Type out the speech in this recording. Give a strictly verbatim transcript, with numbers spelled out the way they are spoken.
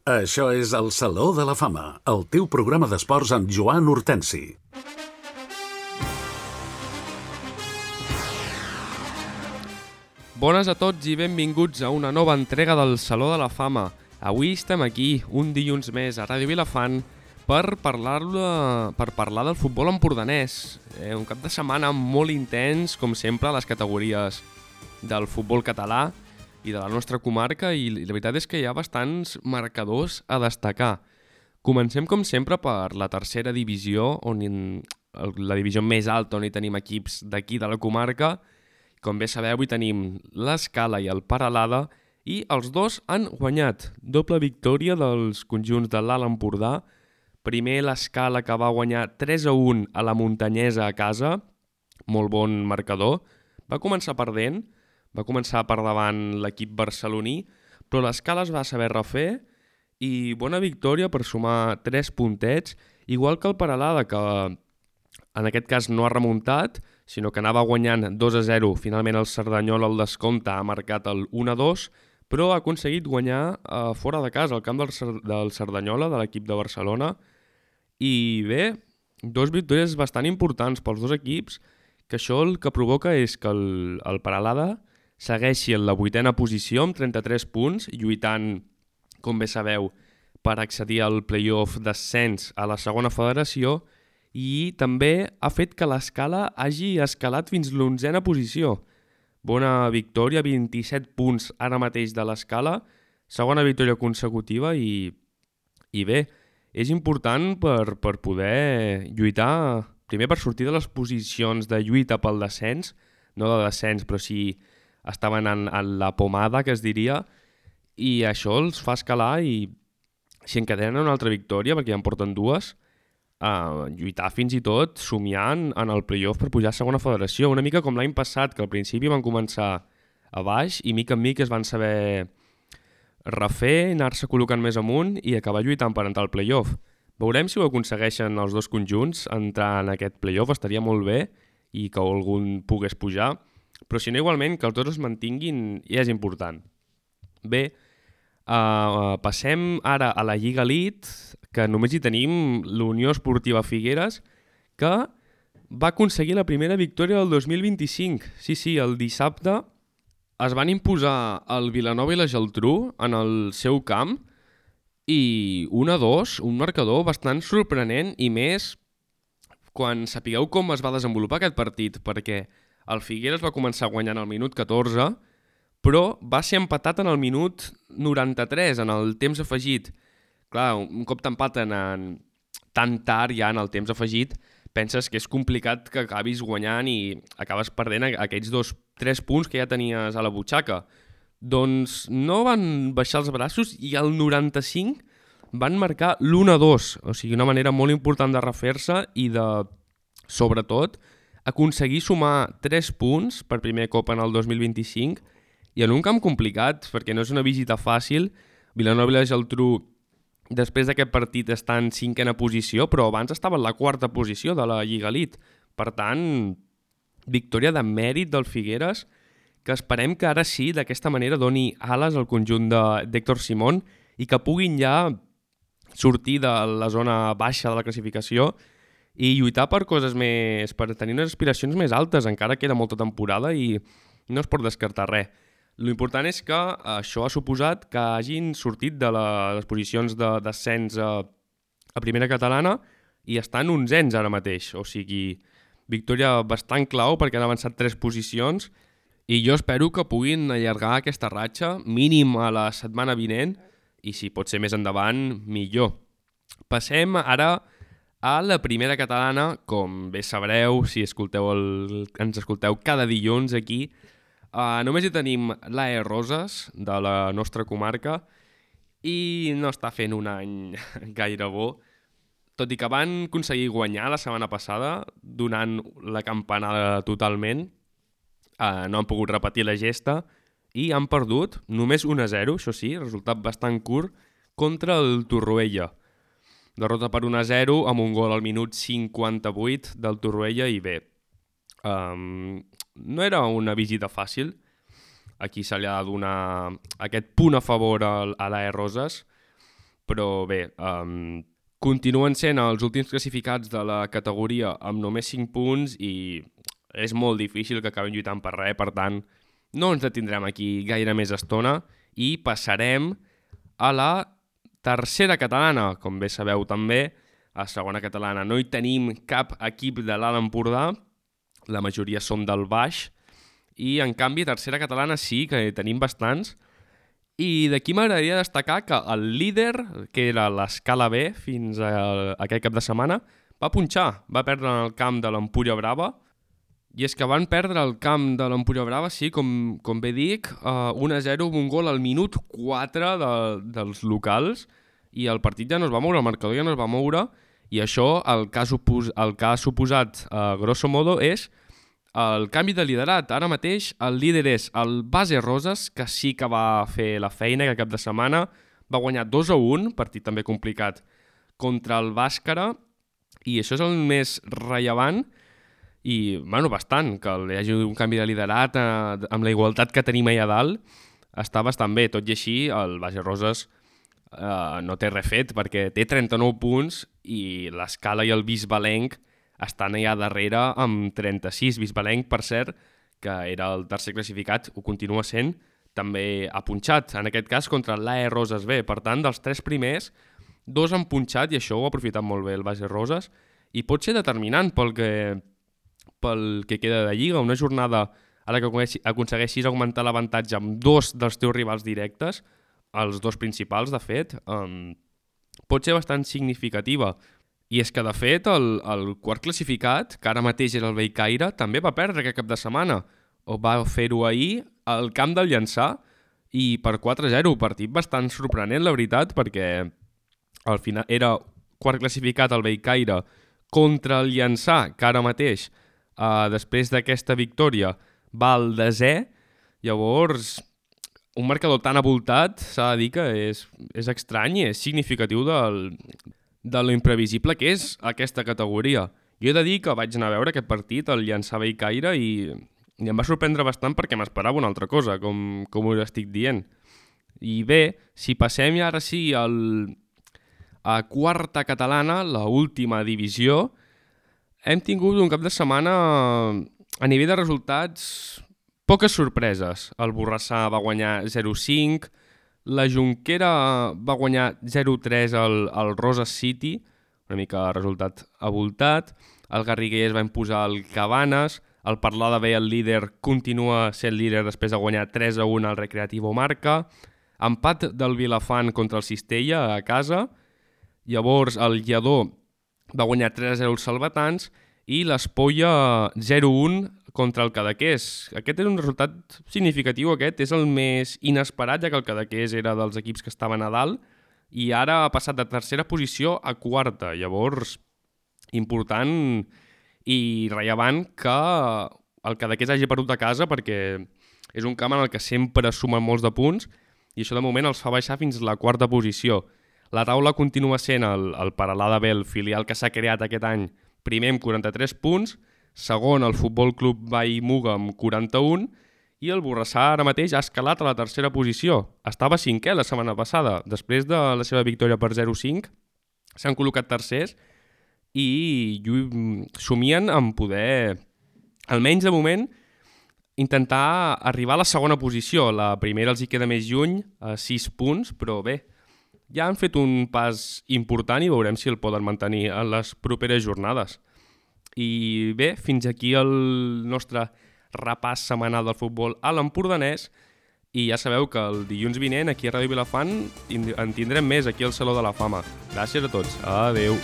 Això és el Saló de la Fama, el teu programa d'esports amb Joan Hortensi. Bones a tots i benvinguts a una nova entrega del Saló de la Fama. Avui estem aquí, un dilluns més, a Ràdio Vilafant, per parlar, per parlar del futbol empordanès. Eh, un cap de setmana molt intens, com sempre, a les categories del futbol català i de la nostra comarca, i la veritat és que hi ha bastants marcadors a destacar. Comencem, com sempre, per la tercera divisió, on la divisió més alta, on hi tenim equips d'aquí de la comarca. Com bé sabeu, hi tenim l'Escala i el Peralada, i els dos han guanyat. Doble victòria dels conjunts de l'Alt Empordà. Primer l'Escala, que va guanyar tres a un a la Muntanyesa a casa, molt bon marcador. Va començar perdent, va començar per davant l'equip barceloní, però l'Escala es va saber refer i bona victòria per sumar tres puntets, igual que el Peralada, que en aquest cas no ha remuntat, sinó que anava guanyant dos a zero. Finalment el Cerdanyola al descompte ha marcat el un a dos, però ha aconseguit guanyar eh, fora de casa, al camp del, del Cerdanyola, de l'equip de Barcelona. I bé, dos victòries bastant importants pels dos equips, que això el que provoca és que el, el Peralada segueixi en la vuitena posició amb trenta-tres punts, lluitant, com bé sabeu, per accedir al play-off d'ascens a la segona federació, i també ha fet que l'Escala hagi escalat fins l'onzena posició. Bona victòria, vint-i-set punts ara mateix de l'Escala, segona victòria consecutiva i, i bé, és important per, per poder lluitar, primer per sortir de les posicions de lluita pel descens, no de descens, però sí estaven en, en la pomada, que es diria, i això els fa escalar i si encadenen una altra victòria, perquè ja en porten dues, Uh, lluitar fins i tot somiant en el play-off per pujar a segona federació, una mica com l'any passat, que al principi van començar a baix i mica en mica es van saber refer, anar-se col·locant més amunt i acabar lluitant per entrar al play-off. Veurem si ho aconsegueixen els dos conjunts, entrar en aquest play-off estaria molt bé i que algun pogués pujar, però si no, igualment que els dos es mantinguin ja és important. Bé, uh, passem ara a la Lliga Elite, que només hi tenim l'Unió Esportiva Figueres, que va aconseguir la primera victòria del dos mil vint-i-cinc. Sí, sí, el dissabte es van imposar el Vilanova i la Geltrú en el seu camp i un a dos, un marcador bastant sorprenent, i més quan sapigueu com es va desenvolupar aquest partit, perquè el Figueres va començar guanyant al minut catorze, però va ser empatat en el minut noranta-tres, en el temps afegit. Clar, un cop t'empaten en... tan tard ja en el temps afegit, penses que és complicat que acabis guanyant i acabes perdent aquells dos, tres punts que ja tenies a la butxaca. Doncs no van baixar els braços i al noranta-cinc van marcar l'un a dos, o sigui, una manera molt important de refer-se i de, sobretot, aconseguir sumar tres punts per primer cop en el dos mil vint-i-cinc i en un camp complicat, perquè no és una visita fàcil. Vilanova i la Geltrú, després d'aquest partit, està en cinquena posició, però abans estava en la quarta posició de la Lliga Elite. Per tant, victòria de mèrit del Figueres, que esperem que ara sí, d'aquesta manera, doni ales al conjunt d'Héctor Simón i que puguin ja sortir de la zona baixa de la classificació i lluitar per coses més, per tenir unes aspiracions més altes. Encara queda molta temporada i no es pot descartar res. L'important és que això ha suposat que hagin sortit de les posicions de descens a, a primera catalana i estan onzens ara mateix. O sigui, victòria bastant clau perquè han avançat tres posicions i jo espero que puguin allargar aquesta ratxa mínim a la setmana vinent i si pot ser més endavant, millor. Passem ara a la primera catalana. Com bé sabreu, si escolteu el, ens escolteu cada dilluns aquí, Uh, només hi tenim l'A E Roses, de la nostra comarca, i no està fent un any gaire bo, tot i que van aconseguir guanyar la setmana passada, donant la campanada totalment. Uh, no han pogut repetir la gesta i han perdut només un a zero, això sí, resultat bastant curt, contra el Torroella. Derrota per un a zero amb un gol al minut cinquanta-vuit del Torroella i bé, um, no era una visita fàcil. Aquí se li ha de donar aquest punt a favor a l'A E Roses, però bé, um, continuen sent els últims classificats de la categoria amb només cinc punts i és molt difícil que acabin lluitant per res, per tant, no ens detindrem aquí gaire més estona i passarem a la tercera catalana. Com bé sabeu també, a segona catalana no hi tenim cap equip de l'Alt Empordà, la majoria som del baix, i en canvi tercera catalana sí que tenim bastants. I d'aquí m'agradaria destacar que el líder, que era l'escala B fins a aquest cap de setmana, va punxar, va perdre en el camp de l'Empúria Brava. I és que van perdre el camp de l'Empúria Brava, sí, com, com bé dic, uh, un a zero amb un gol al minut quatre de, dels locals, i el partit ja no es va moure, el marcador ja no es va moure, i això el que ha, supos, el que ha suposat, uh, grosso modo, és el canvi de liderat. Ara mateix el líder és el Base Roses, que sí que va fer la feina que cap de setmana va guanyar dos a un, partit també complicat, contra el Bàscara, i això és el més rellevant, i, bueno, bastant, que hi hagi un canvi de liderat eh, amb la igualtat que tenim allà dalt, està bastant bé. Tot i així, el Base Roses eh, no té res fet, perquè té trenta-nou punts i l'Escala i el Bisbalenc estan allà darrere amb trenta-sis. Bisbalenc, per cert, que era el tercer classificat, ho continua sent, també ha punxat, en aquest cas contra l'A E Roses B. Per tant, dels tres primers, dos han punxat i això ho ha aprofitat molt bé el Base Roses i pot ser determinant pel que, pel que queda de Lliga. Una jornada a la que aconsegueixis augmentar l'avantatge amb dos dels teus rivals directes, els dos principals, de fet, um, pot ser bastant significativa. I és que, de fet, el, el quart classificat, que ara mateix era el Bellcaire, també va perdre aquest cap de setmana. O va fer-ho ahir al camp del Llançà i per quatre a zero. Partit bastant sorprenent, la veritat, perquè al final era quart classificat el Bellcaire contra el Llançà, que ara mateix, eh, després d'aquesta victòria, va al desè. Llavors, un marcador tan avoltat, s'ha de dir que és, és estrany i és significatiu del, de lo imprevisible que és aquesta categoria. Jo he de dir que vaig anar a veure aquest partit, el Llançà Bellcaire, i, i em va sorprendre bastant perquè m'esperava una altra cosa, com, com us estic dient. I bé, si passem ja ara sí al, a quarta catalana, la última divisió, hem tingut un cap de setmana a nivell de resultats poques sorpreses. El Borrassà va guanyar zero cinc, la Jonquera va guanyar zero tres al, al Roses City, una mica resultat avoltat. El Garriguelles va imposar el Cabanes. El Parlada B, el líder, continua sent líder després de guanyar tres a un al Recreativo Marca. Empat del Vilafant contra el Cistella a casa. Llavors el Lledó va guanyar tres a zero als Salvatans i l'Espolla zero un contra el Cadaqués. Aquest és un resultat significatiu, aquest és el més inesperat, ja que el Cadaqués era dels equips que estaven a dalt i ara ha passat de tercera posició a quarta. Llavors, important i rellevant que el Cadaqués hagi perdut a casa, perquè és un camp en el que sempre sumen molts de punts i això de moment els fa baixar fins a la quarta posició. La taula continua sent el, el Peralada B, el filial que s'ha creat aquest any, primer amb quaranta-tres punts, segon el Futbol Club Vall Muga amb quaranta-un i el Borrassà ara mateix ha escalat a la tercera posició. Estava cinquè la setmana passada. Després de la seva victòria per zero cinc s'han col·locat tercers i somien en poder, almenys de moment, intentar arribar a la segona posició. La primera els hi queda més lluny, a sis punts, però bé, ja han fet un pas important i veurem si el poden mantenir en les properes jornades. I bé, fins aquí el nostre repàs setmanal del futbol a l'empordanès i ja sabeu que el dilluns vinent aquí a Ràdio Vilafant en tindrem més aquí al Saló de la Fama. Gràcies a tots. Adeu.